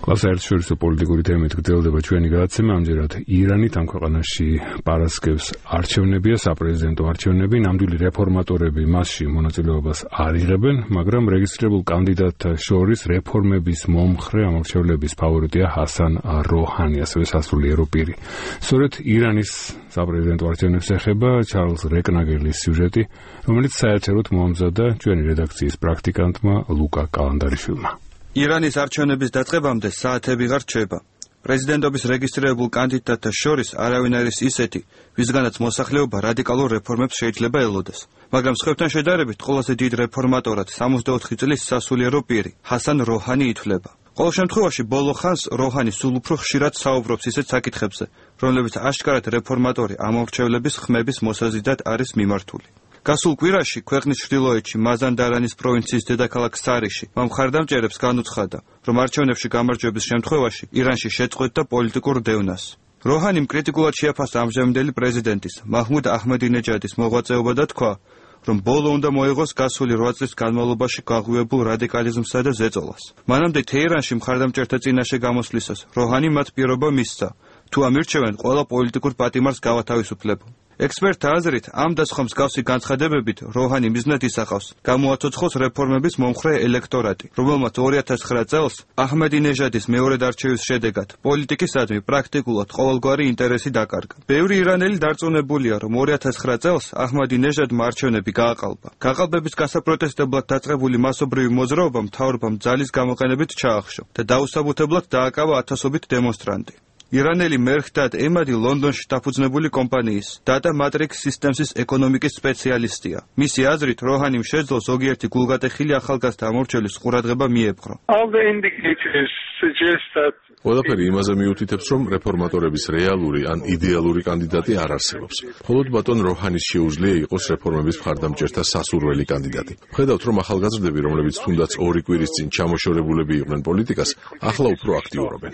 საერთაშორისო პოლიტიკური თემით გრძელდება ჩვენი გადაცემა. ამჯერად ირანით ამ ქვეყანაში პარასკევს არჩევნებია, საპრეზიდენტო არჩევნები. ნამდვილი რეფორმატორები მასში მონაწილეობას არ იღებენ, მაგრამ რეგისტრირებულ კანდიდატთა შორის რეფორმების მომხრე ამორჩევლების ფავორიტია ჰასან როჰანი, ასევე სასულიერო პირი. სწორედ ირანის საპრეზიდენტო არჩევნებს ეხება ჩარლზ რეკნაგელის სიუჟეტი, რომელიც საერთოდ მოამზადა ჩვენი რედაქციის პრაქტიკანტმა ლუკა კალანდარიშვილმა. ირანის არჩევნების დაწყებამდე საათები ვეღარ რჩება. პრეზიდენტობის რეგისტრირებულ კანდიდატთა შორის არავინ არის ისეთი, ვისგანაც მოსახლეობა რადიკალურ რეფორმებს შეიძლება ელოდეს. მაგრამ სხვებთან შედარებით ყველაზე დიდ რეფორმატორად 64 წლის სასულიერო პირი, ჰასან როჰანი ითვლება. ყოველ შემთხვევაში ბოლო ხანს როჰანი სულ უფრო ხშირად საუბრობს ისეთ საკითხებზე, რომლებიც აშკარად რეფორმატორი ამორჩევლების ხმების მოსაზიდად არის მიმართული. გასულ კვირაში ქვეყნის ჩრდილოეთში მაზანდარანის პროვინციის დედაქალაქ სარიში მომხარდამჭერებს განუცხადა, რომ არჩევნებში გამარჯვების შემთხვევაში ირანში შეწყვეტდა პოლიტიკურ დევნას. როჰანიმ კრიტიკულად შეაფასა ამჟამინდელი პრეზიდენტის მაჰმუდ აჰმედინეჯადის მოღვაწეობა და თქვა, რომ ბოლო უნდა მოიღოს გასული 8 წლის განმავლობაში გაღვივებულ რადიკალიზმსა და ზეწოლას. მანამდე თეირანში მხარდამჭერთა წინაშე გამოსვლისას როჰანი მათ პირობა მისცა, თუ ამირჩევენ ყველა პოლიტიკურ პატიმარს გავათავისუფლებო. ექსპერტთა აზრით, ამ და სხვა მსგავსი განცხადებებით როჰანი მიზნად ისახავს გამოაცოცხლოს რეფორმების მომხრე ელექტორატი, რომელმაც 2009 წელს აჰმედინეჟადის მეორედ არჩევის შედეგად პოლიტიკისადმი პრაქტიკულად ყოველგვარი ინტერესი დაკარგა. ბევრი ირანელი დარწმუნებულია, რომ 2009 წელს აჰმედინეჟადმა არჩევნები გააყალბა. გაყალბების გასაპროტესტებლად დაწყებული მასობრივი მოძრაობა მთავრობამ ძალის გამოყენებით ჩაახშო და დაუსაბუთებლად დააკავა ათასობით დემონსტრანტი. ირანელი მერხდად ემადი ლონდონში დაფუძნებული კომპანიის Data Matrix Systems-ის ეკონომიკის სპეციალისტია. მისი აზრით, როჰანიმ შეძლო ზოგიერთი გულგატეხილი ახალგაზრდა ამორჩევლის ყურადღება მიეპყრო. ყველაფერი იმაზე მიუთითებს, რომ რეფორმატორების რეალური ან იდეალური კანდიდატი არ არსებობს. მხოლოდ ბატონ როჰანის შეუძლია იყოს რეფორმების მხარდამჭერთა სასურველი კანდიდატი. ხედავთ, რომ ახალგაზრდები, რომლებიც თუნდაც 2 კვირის წინ ჩამოშორებულები იყვნენ პოლიტიკას, ახლა უფრო აქტიურობენ.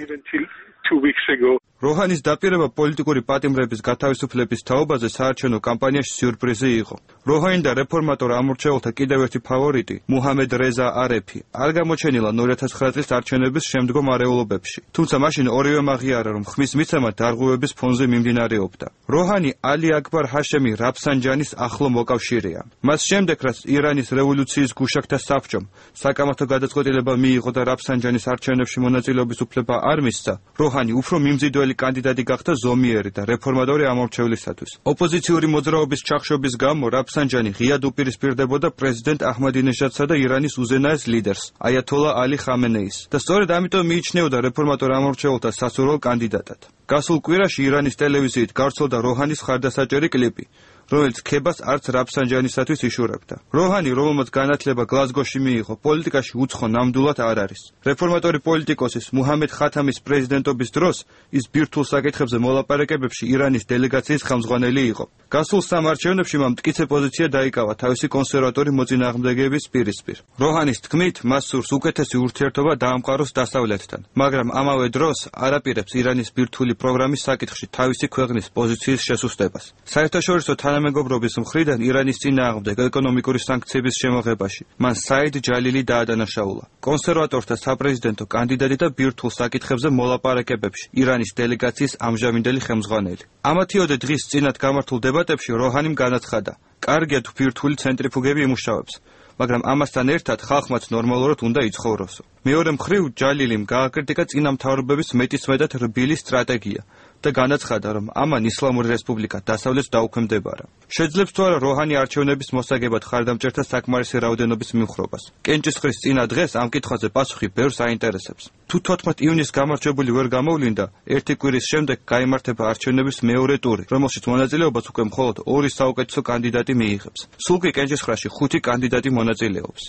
როჰანის დაპირება პოლიტიკური პატიმრების გათავისუფლების თაობაზე საარჩევნო კამპანიაში სიურპრიზი იყო. როჰანი და რეფორმატორ ამორჩეულთა კიდევ ერთი ფავორიტი, მუჰამედ რეზა არეფი, არ გამოჩენილან 2009 წლის არჩევნების შემდგომ არეულობებში. თუმცა მაშინ ორივე აღიარა, რომ ხმის მიცემა დარღვევების ფონზე მიმდინარეობდა. როჰანი ალი აკბარ ჰაშემი რაფსანჯანის ახლო მოკავშირეა. მას შემდეგ, რაც ირანის რევოლუციის გუშაგთა საბჭომ საკამათო გადაწყვეტილება მიიღო და რაფსანჯანის არჩევნებში მონაწილეობის უფლება არ მისცა, როჰანი უფრო მიმზიდველი კანდიდატი გახდა ზომიერი და რეფორმატორი ამორჩევლისათვის. ოპოზიციური მოძრაობის ჩახშობის გამო რაფსანჯანი ღიად უპირისპირდებოდა პრეზიდენტ აჰმედინეჟადსა და ირანის უზენაეს ლიდერს, აიათოლა ალი ხამენეის და სწორედ ამიტომ მიიჩნეოდა რეფორმატორ ამორჩეულთა სასურველ კანდიდატად. გასულ კვირაში ირანის ტელევიზიით გავრცელდა როჰანის ხარდასაჭერი კლიპი, რომელიც ქებას არც რაფსანჯანისათვის იშურებდა. როჰანი, რომელმაც განათლება გლაზგოში მიიღო, პოლიტიკაში უცხო ნამდვილად არ არის. რეფორმატორი პოლიტიკოსის მუჰამედ ხათამის პრეზიდენტობის დროს ის ბირთვულ საკითხებზე მოლაპარაკებებში ირანის დელეგაციის ხელმძღვანელი იყო. გასულ სამ არჩევნებში მან მტკიცე პოზიცია დაიკავა თავისი კონსერვატორი მოწინააღმდეგეების პირისპირ. როჰანის თქმით, მას სურს უკეთესი ურთიერთობა დაამყაროს დასავლეთთან, მაგრამ ამავე დროს არაპირებს ირანის ბირთვული პროგრამის საკითხში თავისი ქვეყნის პოზიციის შესუსტებას. საერთაშორისო თანამეგობრობის მხრიდან ირანის წინააღმდეგ ეკონომიკური სანქციების შემოღებაში მან საიდ ჯალილი დაადანაშაულა. კონსერვატორთა საპრეზიდენტო კანდიდატი და ბირთვულ საკითხებზე მოლაპარაკებებში ირანის დელეგაციის ამჟამინდელი ხელმძღვანელი. ამათიოდე დღის წინათ გამართულ დებატებში როჰანიმ განაცხადა, კარგია თუ ბირთვული ცენტრიფუგები იმუშავებს, მაგრამ ამასთან ერთად ხალხმაც ნორმალურად უნდა იცხოვროსო. მეორე მხრივ ჯალილიმ გააკრიტიკა წინა მთავრობების მეტისმეტად რბილი სტრატეგია და განაცხადა, რომ ამან ისლამური რესპუბლიკა დასავლეთს დაუქვემდებარა. შეძლებს თუ არა როჰანი არჩევნების მოსაგებად ხარდამჭერთა საკმარისი რაოდენობის მიმხრობას. კენჭისყრის წინა დღეს ამ კითხვაზე პასუხი ბევრს აინტერესებს. თუ 14 ივნისს გამარჯვებული ვერ გამოვლინდა, ერთი კვირის შემდეგ გაიმართება არჩევნების მეორე ტური, რომელშიც მონაწილეობას უკვე მხოლოდ 2 საუკეთესო კანდიდატი მიიღებს. სულ კი კენჭისყრაში 5 კანდიდატი მონაწილეობს.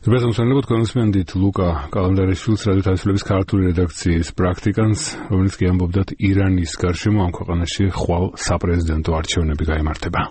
Ზოგადად კონსმენდით ლუკა კალანდარიშვილს რადიო თავისუფლების ქართული რედაქციის პრაქტიკანტს, რომელიც კი ამბობდა ირანის გარშემო ამ ქვეყანაში ხვალ საპრეზიდენტო არჩევნები გაიმართება.